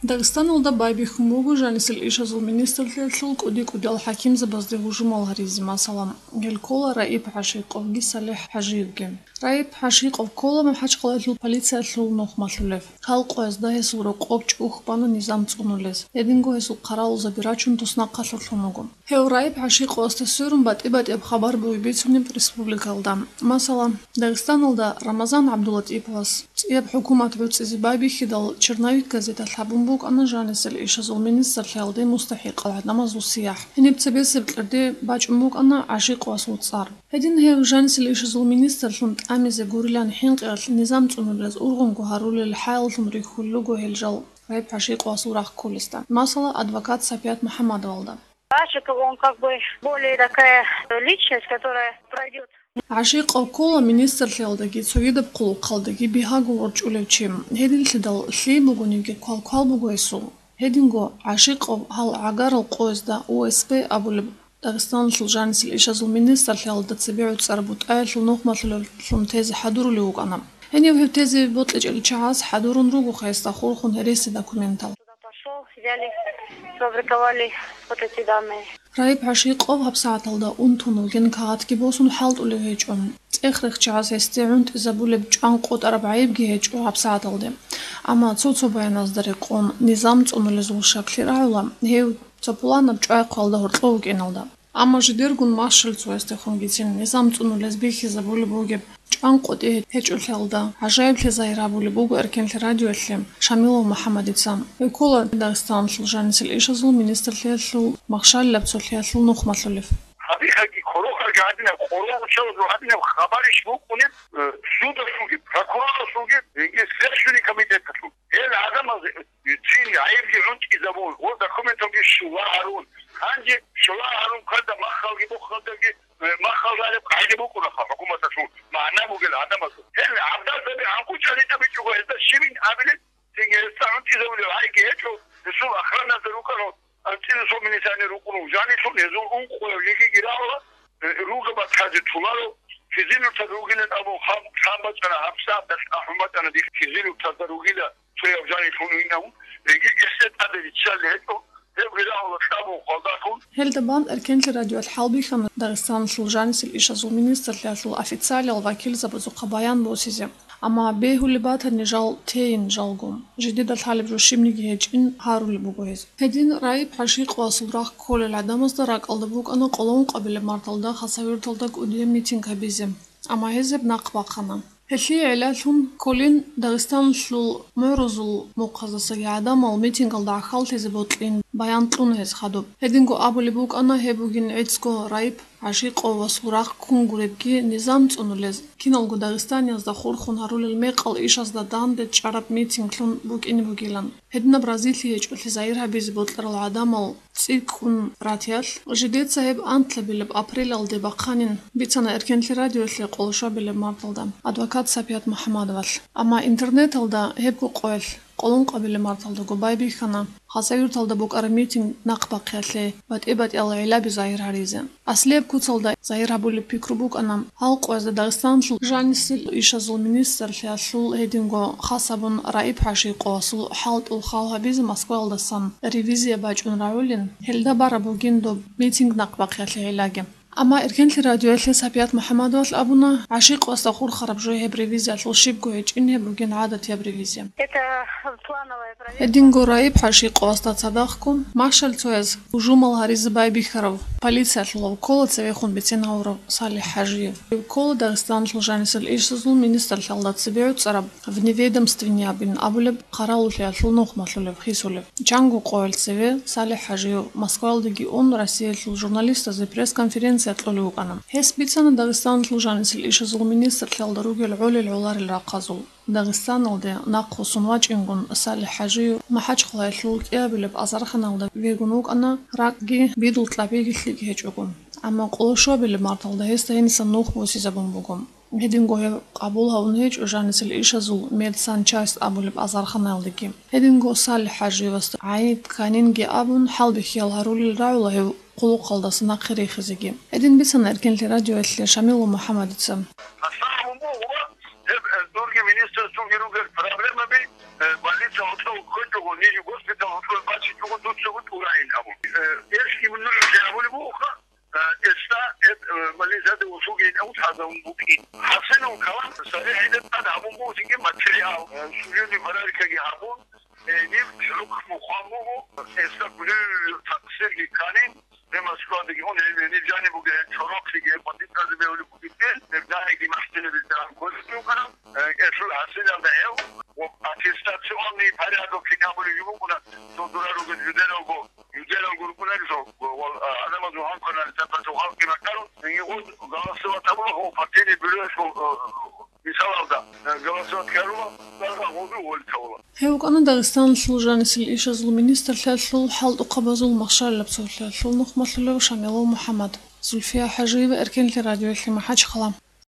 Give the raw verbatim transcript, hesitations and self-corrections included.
Дагъистаналда байбихьун буго жанисел ишазул министрлъиялъул кӀуди-кӀудиял хӀакимзабазде гьужумал гьаризе, масала, гьел ккола Раиб ГӀашикъовги СалихӀ ХӀажиевги. Раиб ГӀашикъов ккола МахӀачхъалаялъул полициялъул нухмалъулев. Гьал къоязда гьесул рокъоб чӀухь бана низам цӀунулез. Гьединго гьесул хъаравулзаби рачун туснахъалъурлъун вуго. Гьев Раиб ГӀашикъовасда сверун батӀи-батӀияб хабар бугеб бицунеб республикалда. Масала, Дагъистаналда Рамазан ГӀабдулатӀиповас цӀияб хӀукумат гӀуцӀизе байбихьидал, «Черновик» газеталъ гьабун букӀана жанисел ишазул министрлъиялде мустахӀикъал гӀадамазул сияхӀ. Гьениб цебесеб кьерде бачӀун букӀана ГӀашикъовасул цӀар. Гьедин гьев жанисел ишазул министрлъун тӀамизе гурилан хӀинкъиялъ низам цӀунулез ургъунго гьарулел хӀалаллъун рихьулел руго гьел жал Раиб ГӀашикъовасул рахъ кколесда, масала, адвокат Сапият МухӀаммадовалда. Ачиков, он как бы более такая личность, которая пройдет. ГӀашикъов ккола министрлъиялдаги цогидаб хъулухъалдаги бигьаго ворчӀулев чи. Гьединлъидал лъие бугониги квал-квал буго гьесул. Гьединго ГӀашикъов гьал гӀагарал къоязда У С П абулеб Дагъистаналъул жанисел ишазул министрлъиялда цебе гӀуцӀараб бутӀаялъул нухмалъулевлъун тезе хӀадурулев вукӀана. Гьенив гьев тезе бокьичӀел чагӀаз хӀадурун руго гьесда хурхун гьереси документал. Туда пошёл, взяли, сфабриковали вот эти данные. Раиб ГӀашикъов гьабсагӀаталда унтун вугин кагъатги босун хӀалтӀулев гьечӀо. ЦӀех-рех чагӀаз гьесде гӀунтӀизабулеб чӀван къотӀараб гӀайибги гьечӀо гьабсагӀаталде. Амма цо-цо баяназда рекъон, низам цӀунулезул шаклъи рагӀула гьев цо пуланаб чӀвай-хъвалда гьоркьов вукӀиналда. Амма жидергун Машаль цоясдехунгицин низам цӀунулез бихьизабулеб бугеб чӀван къотӀи гьечӀолъиялда гӀажаиблъи загьир гьабулеб буго Эркенлъи радиоялъе Шамилов МухӀаммадица. Гьев ккола Дагъистаналъул жанисел ишазул министрлъиялъул махщалилаб цолъиялъул нухмалъулев. Гьабихъаги, коронаги гьадинаб, къоролъиялъул гьадинаб хабарищ букӀунеб, э, судалъулги, прокурорлъулги, яги Следственный комитеталъул. Гьел гӀадамаз цин гӀайибги гӀунтӀизабун ва документалги щула гьарун. Гьанже щула гьарун ккарда махалги бухалдаги, э, махал гьариб къагӀида букӀунаха хӀукуматалъул магӀна бугел гӀадамазул. Гьел гӀадамазаби гӀанкъу чӀалитӀа бичӀого гьезда щибин абилеб, цинги гьезда гӀунтӀизабулеб гӀайги гьечӀо, гьесул охраназда рукӀана, анцӀила цо милиционер рукӀуна, жанилъун гьезул ункъояв жеги гирагьула, э, ругаб батазе туларо, физилуртаз ругилан абун хам-, хам бачӀана, гьабсагӀат ахӀун бачӀана дихъ физилуртазда ругила. Цояв жанилъун винав, гьеги гьесда тӀаде риччалли гьечӀо, гьебги рагьула кьабун хвалдахъун. Гьелда бан Эркенлъи радиоялъ хӀалбихьана Дагъистаналъул жанисел ишазул министрлъиялъул официалиял вакилзабазухъа баян босизе. Амма бегьулеб батани жал тейин жалго. Жидеда лъалеб жо щибниги гьечӀин гьарулеб буго гьез. Гьедин Раиб ГӀашикъовасул рахъ кколел гӀадамазда ракӀалда букӀана къоло ункъабилеб марталда Хасавюрталда кӀудияб митинг гьабизе. Амма гьез гьеб нахъ бахъана. Гьелъие гӀиллалъун кколин Дагъистаналъул мугӀрузул мухъаздасаги гӀадамал митингалда гӀахьаллъизе бокьин баян кьуна гьез хадуб. Гьединго абулеб букӀана гьеб бугин гӀицӀго Раиб ГӀашикъовасул рахъ ккун гуребги низам цӀунулез, киналго дагъистаниязда хурхун гьарулел мекъал ишазда данде чӀараб митинглъун букӀине бугилан. Гьединаб разилъи гьечӀолъи загьир гьабизе бокьарал гӀадамал цӀикӀкӀун ратиялъ, жидеца гьеб анлъабилеб апрелалде бахъанин бицана Эркенлъи радиоялъе къоло щвабилеб марталда адвокат Сапият МухӀаммадовалъ. Амма интернеталда гьебго къоялъ къоло ункъабилеб марталдаго байбихьана Хасавюрталда букӀараб митинг нахъ бахъиялъе батӀи-батӀиял гӀилаби загьир гьаризе. Аслияб куцалда загьир гьабулеб пикру букӀана, гьал къоязда Дагъистаналъул жанисел ишазул министрлъиялъул гьединго хас абун Раиб ГӀашикъовасул хӀалтӀул хал гьабизе Москваялдасан ревизия бачӀун рагӀулин, гьелда бараб бугин доб митинг нахъ бахъиялъе гӀиллаги. Амма Эркенлъи радиоялъе Сапият МухӀаммадовалъ абуна, ГӀашикъовасда хурхараб жо гьеб ревизиялъул щибго гьечӀин, гьеб бугин гӀадатияб ревизия. Это плановая проверка. Гьединго Раиб ГӀашикъовасда цадахъго, Машаль цояз гьужумал гьаризе байбихьарав полициялъулав ккола цевехун бицен гьавурав СалихӀ ХӀажиев. Гьев ккола Дагъистаналъул жанисел ишазул министрлъиялда цебе гӀуцӀараб вневедомственный абин абулеб хъаравуллъиялъул нухмалъулев, хисулев. Чанго къоялъ цеве СалихӀ ХӀажиев Москваялдеги ун, Россиялъул журналистазе пресс-конференция кьолев вукӀана. Гьес бицана Дагъистаналъул жанисел ишазул министрлъиялда ругел гӀолел-гӀоларел рахъазул. Дагъистаналде нахъвуссун вачӀингун, СалихӀ ХӀажиев МахӀачхъалаялъул кӀиабилеб азарханалда вегун вукӀана, ракӀги бидул кьабиги лъикӀ гьечӀого. Амма къоло щвабилеб марталда гьесда гьенисан нух босизабун буго. Гьединго гьев къабул гьавун гьечӀо жанисел ишазул медсанчасть абулеб азарханаялдеги. Гьединго СалихӀ ХӀажиевасда гӀайиб-кканинги абун, хӀалбихьиял гьарулел рагӀула гьев хъулухъалдаса нахъе рехизеги. Гьедин бицана Эркенлъи радиоялъе Шамилов МухӀаммадица. Гьеб, э, дурги министрасулги ругел проблемаби, Э, больница гьоркьов ккечӀого, ниж госпитал гьоркьов бачичӀого дуцаго тӀурайин абун. Э, гьелъги мунагьалъе абулеб бугоха, э, гьесда гьеб, э, больницаде услуги гьабун лъазабун букӀин. ХӀасилун калам, цадахъ гьедин тӀад гьабун буго цинги материал, э, судебный проверкаги гьабун, э, ниб хӀукму хъван буго, гьесда кулел такъсирги кканин, гьеб Москвадаги ун, гьеб гьениб жаниб бугеб, гьеб чорохъеги, гьеб бандитазе бегьулеб бугеб, гьеб данеги махсилабилан кколеб букӀана, э, гьелъул хӀасилалда гьев, ва аттестационный порядок кин абулеб жо букӀуна, цо дора ругел жидералго, жидералго рукӀунарел жо, ва, ва, а, гӀадамазул гьанкъанал тӀатӀа халкъи бакӀарун, гьениб гъоз голосовать абула, гьев партийный бюросул, э, мисалалда, э, голосовать ккарула, дагъа гъозул гъолитавула. Гьев вукӀана Дагъистаналъул жанисел ишазул министрлъиялъул хӀалтӀухъабазул махщалилаб цолъиялъул нухмалъулев Шамилов МухӀаммад. Зульфия ХӀажиева, Эркенлъи радиоялъе МахӀачхъала.